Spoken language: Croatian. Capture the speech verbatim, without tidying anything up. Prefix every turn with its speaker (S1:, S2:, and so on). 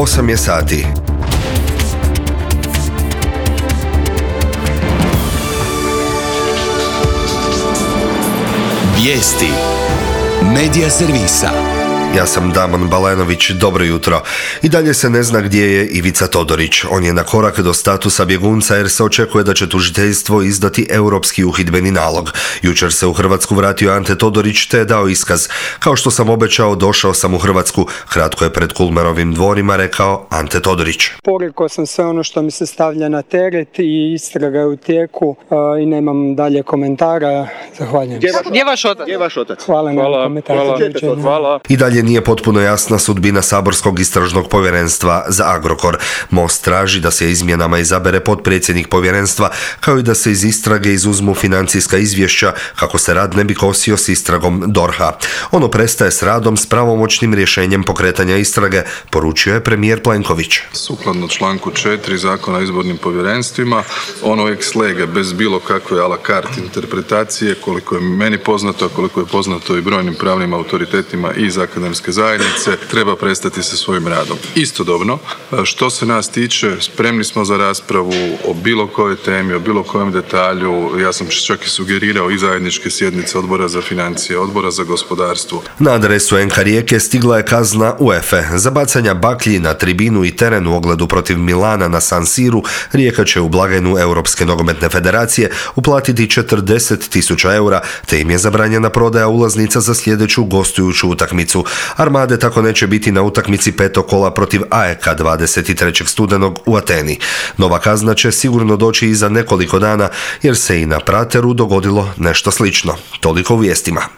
S1: osam je sati.
S2: Vijesti Medija servisa.
S1: Ja sam Damon Balenović, dobro jutro. I dalje se ne zna gdje je Ivica Todorić. On je na korak do statusa bjegunca jer se očekuje da će tužiteljstvo izdati europski uhidbeni nalog. Jučer se u Hrvatsku vratio Ante Todorić te je dao iskaz. Kao što sam obećao, došao sam u Hrvatsku, kratko je pred Kulmerovim dvorima rekao Ante Todorić.
S3: Porekao sam sve ono što mi se stavlja na teret i istraga je u tijeku i nemam dalje komentara. Zahvaljujem.
S4: Gdje je vaš otac? Gdje je vaš otac?
S3: Hvala na komentaru.
S4: Hvala. Hvala.
S1: I dalje nije potpuno jasna sudbina saborskog istražnog povjerenstva za Agrokor. Most traži da se izmjenama izabere potpredsjednik povjerenstva, kao i da se iz istrage izuzmu financijska izvješća kako se rad ne bi kosio s istragom D O R H-a. Ono prestaje s radom s pravomoćnim rješenjem pokretanja istrage, poručio je premijer Plenković.
S5: Sukladno članku četiri Zakona o izbornim povjerenstvima, ono ex lege, bez bilo kakve a la carte interpretacije, koliko je meni poznato, a koliko je poznato i brojnim pravnim autoritetima i iz akademske zajednice, treba prestati sa svojim radom. Istodobno, što se nas tiče, spremni smo za raspravu o bilo kojoj temi, o bilo kojem detalju. Ja sam čak i sugerirao i zajedničke sjednice Odbora za financije, Odbora za gospodarstvo.
S1: Na adresu en ka Rijeke stigla je kazna UEFA za bacanja baklji na tribinu i teren u ogledu protiv Milana na San Siru. Rijeka će u blagajnu Europske nogometne federacije uplatiti četrdeset tisuća eura, te im je zabranjena prodaja ulaznica za sljedeću gostujuću utakmicu. Armade tako neće biti na utakmici petog kola protiv A E K dvadeset trećeg studenog u Ateni. Nova kazna će sigurno doći i za nekoliko dana jer se i na Prateru dogodilo nešto slično. Toliko u vijestima.